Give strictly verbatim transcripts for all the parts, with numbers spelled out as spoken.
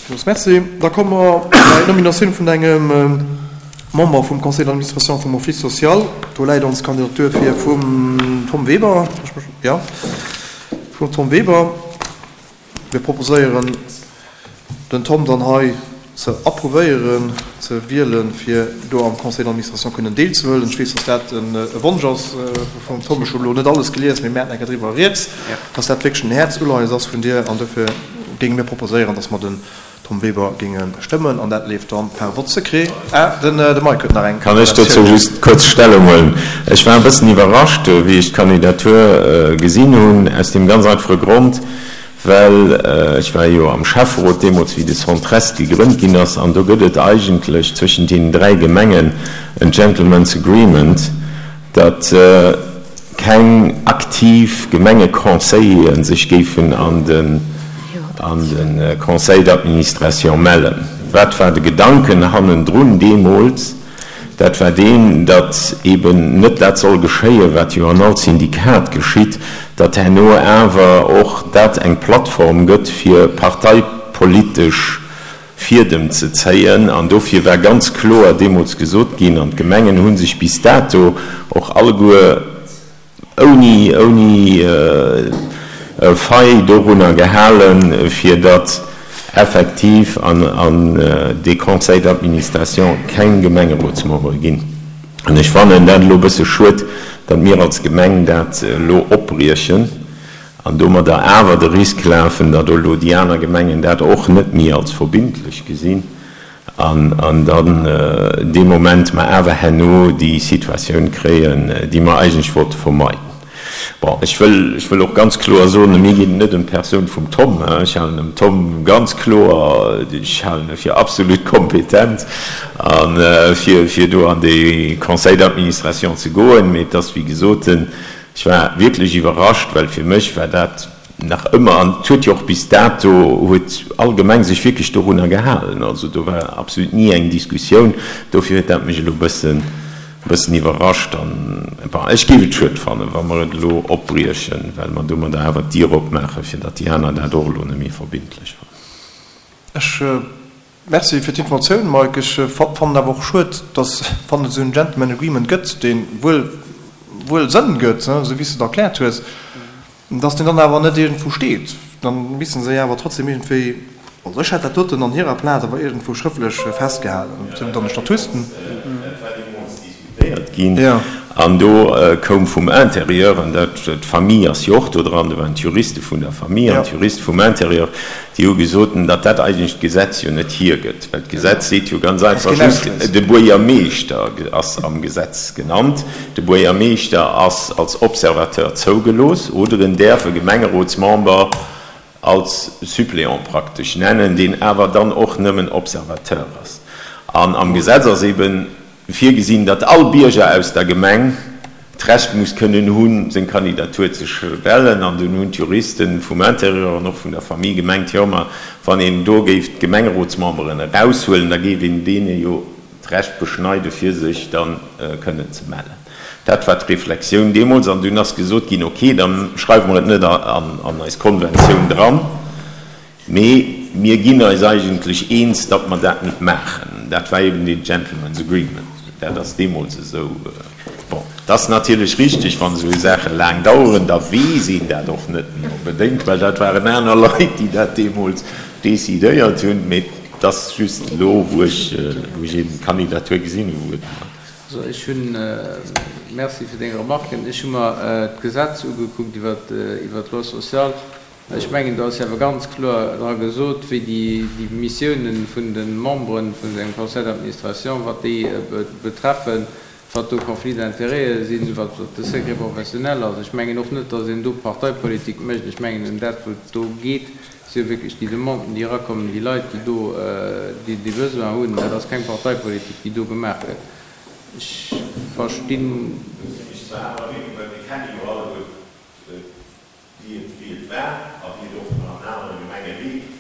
Villmools Merci. Da komme mer bei d'Nominatioun vun engem Member vum Conseil d'administration vum Office social. Do läit ons Kandidatur vir vum Tom Weber. Jo, vum Tom Weber. Mir proposéieren, den Tom dann hei ze approuvéieren, ze wielen, fir do am Conseil d'administration kënnen deelzehuelen. Ech weess, dass dat e Wonsch ass vum Tom. Ech hu elo net alles gelies, mee mir haten eng Kéier driwwer rieds, dass dat wierklech en Häerzuleies ass vun dir. An dofir géinge mir proposéieren, dass mer den Tom Weber géinge stëmmen. An dat leeft dann par vote secret. Ah, de Mike huet nach eng Kann ech dozou just kuerz Stellung huelen? Ech war e bëssen iwwerrascht, wéi ech d'Kandidatur gesinn hunn, aus deem ganz einfache Grond, well ech war jo am Schäfferot deemools, wéi de Centrest gegrënnt ginn ass, an do gëtt et eigentlech zwëschent deenen dräi Gemengen en Gentlemen's Agreement, datt keng aktiv Gemengeconseillere sech géifen an de an de Conseil d'administration mellen. Wat war de Gedanken hannendrun deemools? Dat war deen, datt eben net dat soll geschéien, wat jo an all Syndikat geschitt, datt herno awer och dat eng Plattform gëtt, fir parteipolitesch Fiedem ze zéien. An dofir war ganz kloer deemools gesot ginn, an d'Gemengen hu sech bis dato och alleguer ouni, ouni Faille dorunner gehalen, fir datt effektiv an dee Conseil d'administration keng Gemengerotsmembere ginn. An ech fannen dat elo e bësse schued, datt mir als Gemeng dat elo opbriechen an domadder awer de Risk lafen, datt elo déi aner Gemengen dat och net méi als verbindlech gesinn an dann dee Moment mer awer herno déi Situatioun kréien, déi mer eigentlech wollte vermeiden. Bon, ech wëll, ech wëll och ganz kloer soen, mir geet et net ëm d'Persoun vum Tom. Ech halen dem Tom ganz kloer, ech halen e fir absolut kompetent a fir, fir do an dee Conseil d'administration ze goen. Mee et ass wéi gesot, ech war wierklech iwwerrascht, well fir mech war dat nach ëmmer, an et huet jo och bis dato huet all Gemeng sech wierklech dorunner gehalen, also do war absolut ni eng Diskussioun. Dofir huet dat mech elo e bëssen, e bëssen iwwerrascht an, bon, ech géif et schued fannen, wa mer et elo opbriechen, well mer domadder awer d'Dier opmaachen, fir datt déi aner dat och elo net méi verbindlech fannen. Ech Merci fir d'Informatioun, Mike. Ech fannen awer och schued, datt, wann et esou en Gentleman Agreement gëtt, dee wuel, wuel Sënn gëtt, esou wéi s de et erkläert hues, datt deen dann awer net iergendwou steet. Dann misste se jo awer trotzdem iergendwéi, also ech hätt dat doten an hirer Plaz awer iergendwou schrëftlech festgehalen, ob se dann de Statut. Dat war deemools diskutéiert ginn an do koum vum Intérieur, an dat, d'Famille ass jo och do dran, do waren d'Juriste vun der Famille an d'Juriste vum Intérieur, déi hu gesot, datt dat eigentlech d'Gesetz jo net hiergëtt, well d'Gesetz seet jo ganz einfach just, de Buergermeeschter ass am Gesetz genannt, de Buergermeeschter ass als Observateur zougelooss oder en däerf e Gemengerotsmember als Suppléant praktesch nennen, deen awer dann och nëmmen Observateur ass. An am Gesetz ass eben virgesinn, datt all Bierger aus der Gemeng d'Recht muss kënnen hunn, seng Kandidatur ze stellen. An dunn hunn d'Juriste vum Intérieur an och vun der Famille gemengt, jo, ma wann een do géif d'Gemengerotsmemberen eraushuelen, da géif een deene jo d'Recht beschneiden, fir sech da kënnen ze mellen. Dat war d'Reflexioun deemools. An dunn ass gesot ginn, ok, da schreiwe mer et net an eis Konventioun dran, mee mir ginn eis eigentlech eens, datt mer dat net maachen. Dat war eben deen Gentlemen's Agreement. Dat ass deemools esou. Bon, et ass natierlech richtig, wann esou Saache laang daueren, da weess een dat och net méi onbedéngt, well dat waren aner Leit, déi dat deemools decidéiert hunn. Mee et ass just elo, wou ech, wou ech eben d'Kandidatur gesinn hunn, wou et mer. Also ech hunn, Merci fir deng Remarken. Ech hu mer d'Gesetz ugekuckt iwwert, iwwert d'Loi sociale. Ech mengen, do ass jo awer ganz kloer dra gesot, wéi déi Missiounen vun de Membere vun engem Conseil d'administration, wat déi betreffen, wat do Conflits d'intérêts sinn, wat de Secret professionnel ass. Ech mengen och net, datt een do Parteipolitik mécht. Ech mengen, ëm dat, wou et do geet, si jo wierklech déi Demanden, déi erakommen, déi Leit, déi do déi Besoin hunn. Dat ass keng Parteipolitik, déi do gemaach gëtt. Ech verstinn. Ech zwar awer wierklech, well mir kenne jo alleguer wéi et wéi et war a wéi et och nach an anere Gemenge leeft.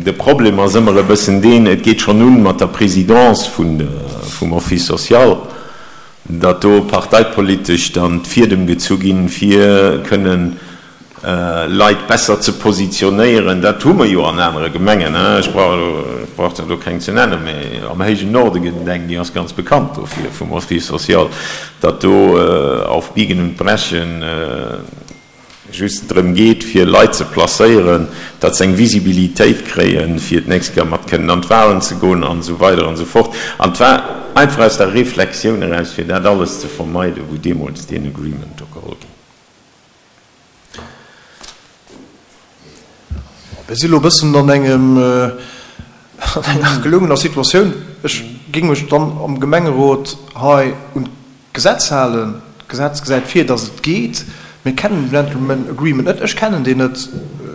De Problem ass ëmmer e bëssen deen, et geet schonn un mat der Présidence vun vum Office social, datt do parteipolitesch dann d'Fiedem gezu ginn, fir kënnen Leit besser ze positionéieren. Dat hu mer jo an anere Gemengen, ech brauch der do keng ze nennen, mä am héijen Norde gëtt et eng, déi ass ganz bekannt dofir vum Office social, datt do auf Biegen und Brechen just drëm geet, fir Leit ze placéieren, datt se eng Visibilitéit kréien, fir d'nächst Kéier mat kënnen an d'Wahlen ze goen an esou weider an esou fort. An et war einfach aus der Reflexioun eraus, fir dat alles ze vermeiden, wou deemools deen Agreement do geholl ginn. Mir si lo e bëssen an engem, an enger gelungener Situatioun. Ech géing mech dann am Gemengerot hei un d'Gesetz halen. D'Gesetz gesäit vir, dass et geet. Mir kennen den Gentleman Agreement net. Ech kennen deen net.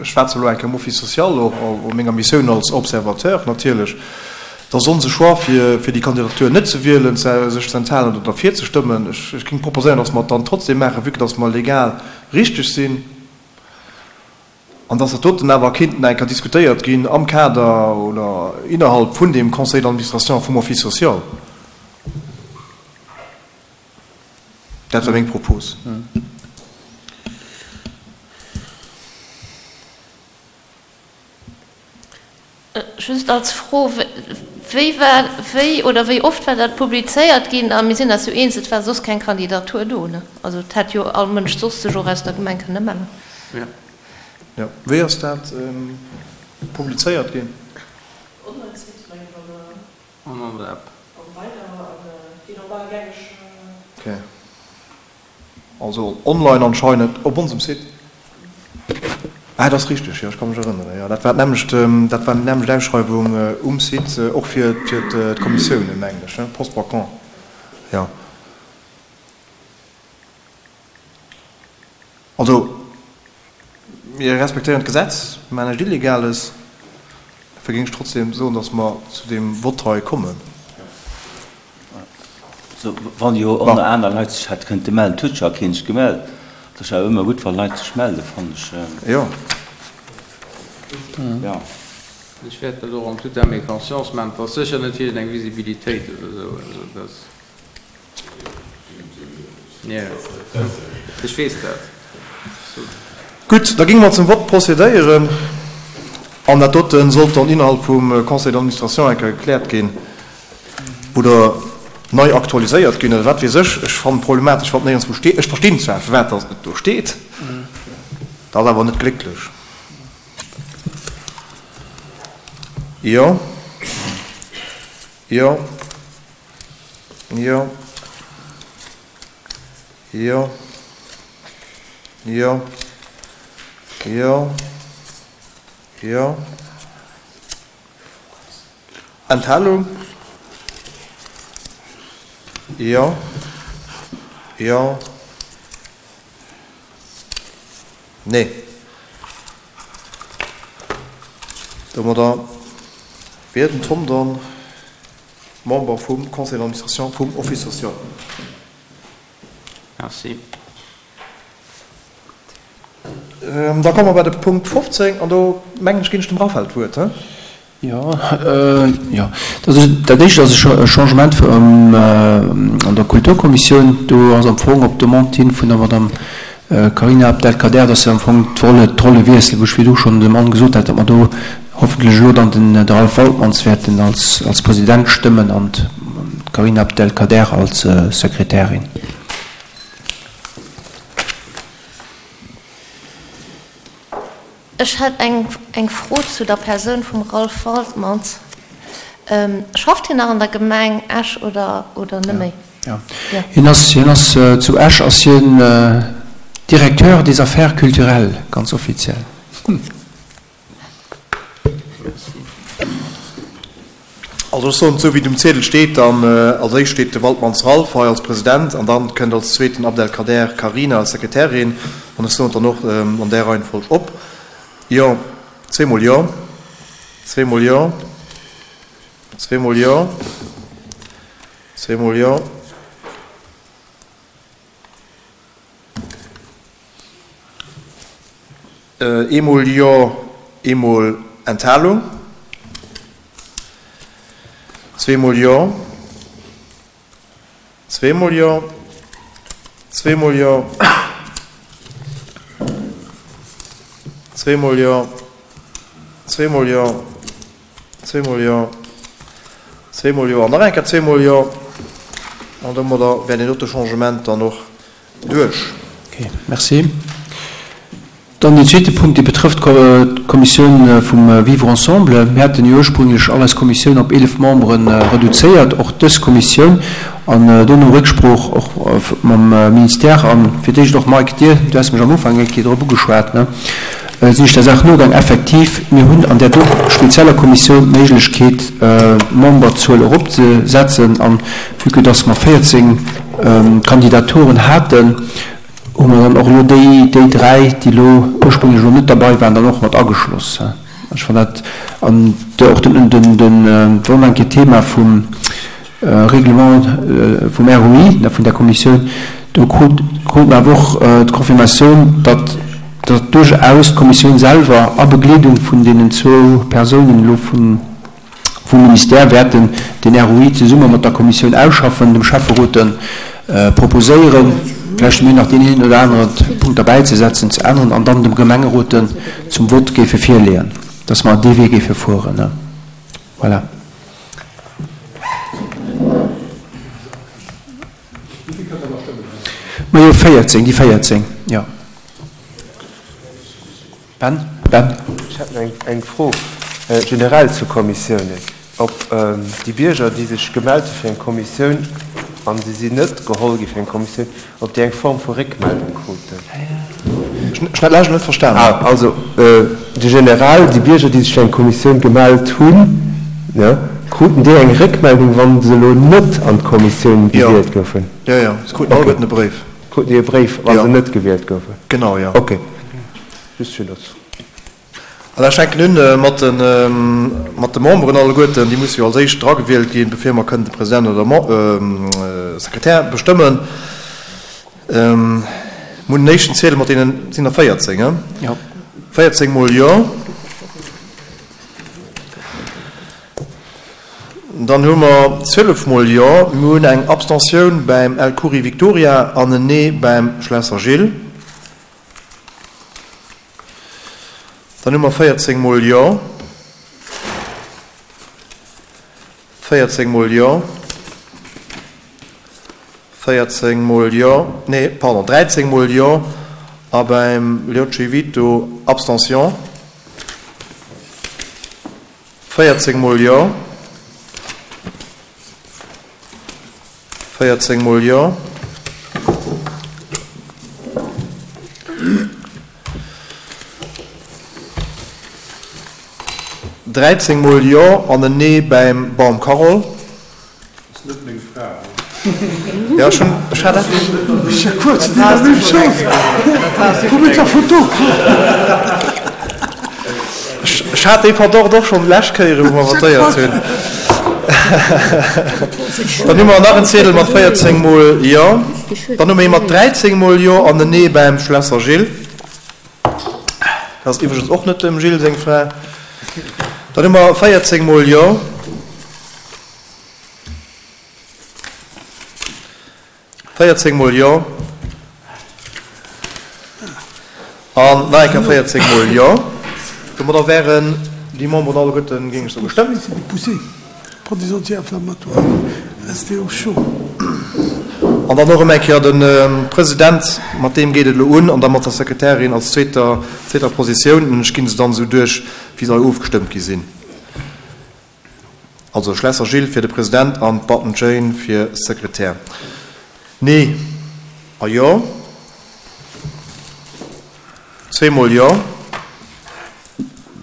Ech schwätze elo eng Kéier am Office social, och a menger Missioun als Observateur natierlech. Et ass onse Choix, fir fir déi Kandidatur net ze wielen, sech ze enthalen oder derfir ze stëmmen. Ech géing proposéieren, dass mer et dann trotzdem maachen, vue que dass mer legal richteg sinn. An dass dat doten awer kéinten eng Kéier diskutéiert ginn am Kader oder innerhalb vun deem Conseil d'administration vum Office social. Dat war meng Propos. Just als Fro, Wéi war, wéi oder wéi oft war dat publizéiert ginn? A mir sinn eis jo eens, et war soss keng Kandidatur do, ne? Also et hätt jo all Mënsch soss sech och aus der Gemeng kënne mellen. Jo, wéi ass dat publizéiert ginn? Online-Site, mengen ech, an an der App. An weider an déi normal gängeg. Ok, also online anscheinend op onsem Site. Ah, dat ass richteg, jo, ech ka mech erënneren, jo, dat war d'nämmlecht, dat war déi nämmlecht Ausschreiwung um Site, och fir d'Kommissiounen, mengen ech, Poste vacant, jo. Also, mir respektéieren d'Gesetz, mir maachen näischt Illegales, dofir géing ech trotzdem soen, dass mer zu deem Vott hei kommen. Also, wann jo och nach aner Leit sech hätte kënnte mellen, et huet scho keen sech gemellt. Et ass awer ëmmer gutt, wa Leit sech mellen, fannen ech. Jo. Jo. Ech wäert dat och en toute âme et conscience maachen. Et ass sécher net fir eng Visibilitéit oder esou. Also dat. Jo, ech weess dat. Gutt, da géinge mer zum Vott procédéieren. An dat dote sollt dann innerhalb vum Conseil d'administration eng Kéier gekläert ginn oder nei aktualiséiert ginn oder wat weess ech. Ech fannen et problematesch, wann et néierenswou steet. Ech verstinn zwar, firwat datt et do steet, dat ass awer net glécklech. Jo, jo, jo, jo, jo, jo, jo. Enthalung? Jo. Jo. Nee. Domadder wier den Tom dann Member vum Conseil d'administration vum Office social. Merci. Da komme mer bei de Punkt fofzéng an do, mengen ech, ginn ech dem Raphaël d'Wuert. Jo, jo. Dat éischt ass e Changement an der Kulturkommissioun. Do ass am Fong op Demande hin vun der Madame Carina Abdelkader, dass se am Fong d'Rolle wiesselen, wou ech virdu schonn dem Anne gesot hat, datt mer do hoffentlech elo dann den Ralph Waltmans wäerten als President stëmmen an d'Carina Abdelkader als Sekretärin. Ech hätt eng Fro zu der Persoun vum Ralph Waltmans. Schafft hien nach an der Gemeng Esch oder net méi? Jo, hien ass, hien ass zu Esch ass hien Directeur des Affaires culturelles, ganz offiziell. Also ech soen et esou, wéi et um Ziedel steet. Dann als éischt steet de Waltmanns Ralph hei als President an dann kënnt als zweeten Abdelkader Carina als Sekretärin. An ech soen et dann och an där Reihenfolg op. Jo, zweemol jo, zweemol jo, zweemol jo, zweemol jo. Eemol jo, eemol Enthalung. Zweemol jo, zweemol jo, zweemol jo, Zweemol Jo. Zweemol Jo. Zweemol Jo. Zweemol Jo an nach eng Kéier zweemol Jo. An domadder wär deen dote Changement dann och duerch. Okay, merci. Dann deen zweete Punkt, dee betrëfft d'Kommissioun vum Vivre ensemble. Mir haten jo ursprünglech all eis Kommissioun op eelef Membere reduzéiert, och dës Kommissioun, an do no Récksprooch och mam Ministère a fir d'éischt och, Mike, dir, du has mech am Ufank eng Kéier drop ugeschwat, ne, sinn ech der Saach nogaang. Effektiv, mir hunn an där do spezieller Kommissioun d'Méiglechkeet, d'Memberzuel eropzesetzen. An vue que dass mer véierzéng Kandidaturen haten, hu mer dann och elo déi, déi dräi, déi elo ursprünglech elo net derbei waren, dann och mat ageschloss. Ech fannen dat, an och den, den, den, war eng Kéier Thema vum Règlement vum R O I, vun där Kommissioun, do krut, krut mer awer och d'Confirmatioun, datt, datt duerchaus d'Kommissioun selwer a Begleedung vun deenen zwou Persounen elo vun, vum Ministère wäerten den R O I zesumme mat der Kommissioun ausschaffen, dem Schäfferot proposéieren, vläicht mir nach deen een oder anere Punkt derbäizesetzen, ze änneren an dann dem Gemengerot zum Vott géife virleeën, dass mer dee Wee géife fueren. Voilà. Majo, véierzéng, déi véierzéng, jo. Ben? Ben? Ech hätt nach eng Fro generell zu Kommissiounen. Ob déi Bierger, déi sech gemellt hu fir eng Kommissioun an se sinn net geholl gi fir eng Kommissioun, ob déi eng Form vu Réckmeldung kruten. Ech hunn dat lescht net verstanen. Ah, also de generell, déi Bierger, déi sech fir eng Kommissioun gemellt hunn, jo, kruten déi eng Réckmeldung, wa se elo net an d'Kommissioun gewielt goufen? Jo, jo, se kruten alleguerten e Bréif. Kruten déi e Bréif, wa se net gewielt goufen? Genau, jo. Okay. Just fir dat. An ech fänken un mat de, mat de Memberen alleguerten. Déi musse jo als éischt dragewielt ginn, bevir mer kënnen de President oder Sekretär bestëmmen. Mir hunn den éischten Ziedel mat deenen, et sinn der véierzéng, he? Jo. Véierzéng mol Jo. Dann hu mer zwielef mol Jo. Mir hunn eng Abstentioun beim El Khoury Victoria an en Nee beim Schlesser Gilles. Dann hu mer véierzéng mol Jo. Véierzéng mol Jo. Véierzéng mol Jo. Nee, pardon, dräizéng mol Jo. A beim Liocci Vito Abstention. Véierzéng mol Jo. Véierzéng mol Jo. Dräizéng mol Jo an en Nee bäim Baum Carole. Ass net meng Fra. Jo, ech hunn, ech hat dat. Ech hat dee Verdacht och schonn d'lescht Kéier, wou mer votéiert hunn. Dann hu mer nach en Ziedel mat véierzéng mol Jo. Dann hu mer ee mat dräizéng mol Jo an en Nee bäim Schlesser Gilles. Dat ass iwwregens och net dem Gilles seng Fra. Dann hu mer véierzéng mol Jo. Véierzéng mol Jo. An nach eng Kéier véierzéng mol Jo. Domadder wären déi Memberen alleguerten, géing ech soen, gestëmmt. An dann och erëm eng Kéier de President, mat deem geet et elo un, an da mat der Sekretärin als zweeter, zweeter Positioun. An ech ginn se dann esou duerch, wéi se hei ofgestëmmt gi sinn. Also Schlesser Gilles fir de President an Batten Jane fir Sekretär. Nee a Jo. Zweemol Jo.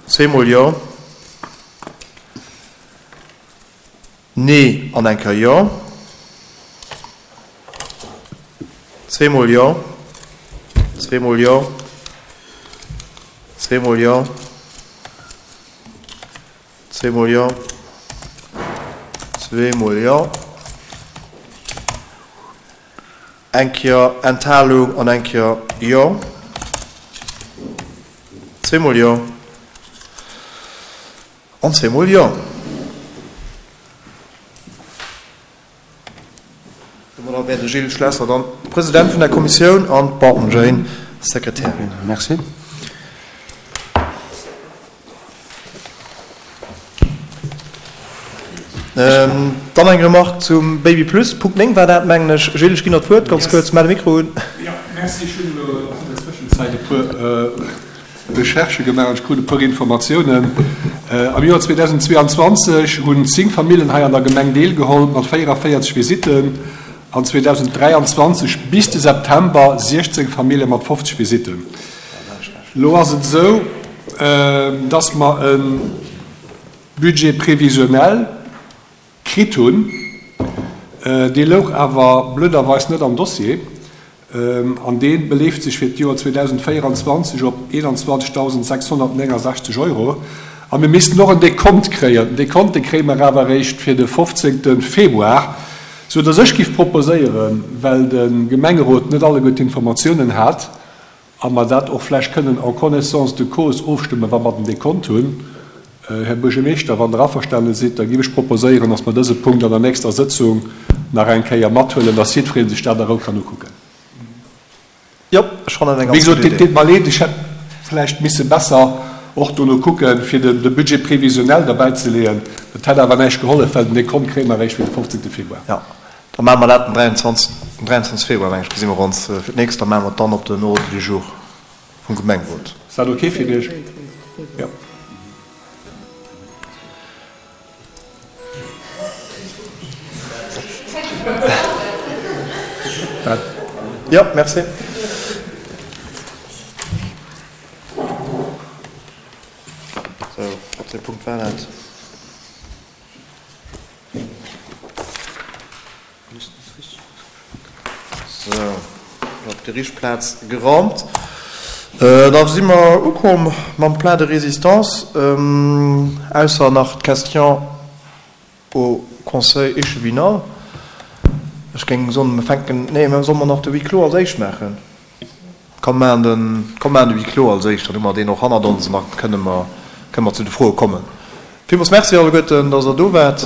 Zweemol Jo. Nee an eng Kéier Jo. Zweemol Jo. Zweemol Jo. Zweemol Jo. Zweemol Jo. Zweemol Jo. Eng Kéier Enthalung an eng Kéier Jo. Zweemol Jo. An zweemol Jo. Domadder wär de Gilles Schlesser dann President vun der Kommissioun an d'Barton Jane Sekretärin. Merci. Dann eng Remark zum Baby Plus, Punkt néng war dat, mengen ech. Gilles, ech ginn der d'Wuert, ganz kuerz, maach de Mikro un. Jo, merci. Ech hunn elo an der Zwëschenzäit e puer Recherchë gemaach an ech krut e puer Informatiounen. Am Joer zweedausendzweeanzwanzeg hunn zéng Famillen hei an der Gemeng deelgeholl mat véierevéierzeg Visitten an zweedausenddräianzwanzeg bis de September siechzéng Famille mat fofzeg Visitten. Elo ass et esou, dass mer e Budget prévisionnel kritt hunn, dee louch awer blöderweis net am Dossier, an dee beleeft sech fir d'Joer zweedausendvéieranzwanzeg op eenanzwanzegtausendsechshonnertnéngensechzeg Euro. A mir missten och en Dekont kréien. Den Dekont, dee kréie mer awer eréischt fir de fofzéngte Februar, sou dass ech giff proposéieren, well de Gemengerot net alleguer d'Informatiounen hat, a mer dat och vläicht kënnen en connaissance de cause ofstëmmen, wa mer den Dekont hunn. Här Buergermeeschter, wann Der averstane sidd, da géif ech proposéieren, dass mer dëse Punkt an der nächster Sëtzung nach eng Kéier mathuelen, dass jiddweree sech dat a Rou kann ukucken. Jo, ech fannen eng Wéi ganz gesot, gutt et Idee. deet mer leed, ech hätt vläicht misse besser och dono kucken, fir de Budget prévisionnel derbäizeleeën. Dat hätt awer näischt gehollef, well den Dekont kréie mer eréischt fir de fofzéngte Februar. Jo, da maache mer dat den dräianzwanzeg Februar, meng ech, gesi mer ons fir d'nächst. Da maache mer et dann op den Ordre du jour vum Gemengerot. Ass dat ok fir Iech? Jo. Jo, merci. Sou, op dee Punkt war dat. Sou, op déi richteg Plaz geraumt. Da si mer ukomm mam Plat de résistance, ausser nach d'Question au Conseil échevinal. Ech géing soen, mer fänken, nee, mä solle mer nach de Huis clos als éischt maachen? Komm, maachen de, komm, maachen de Huis clos als éischt, dann hu mer deen och hannert ons an da kënne mer, kënne mer zu de Froe kommen. Villmools Merci alleguerten, dass Der do waart.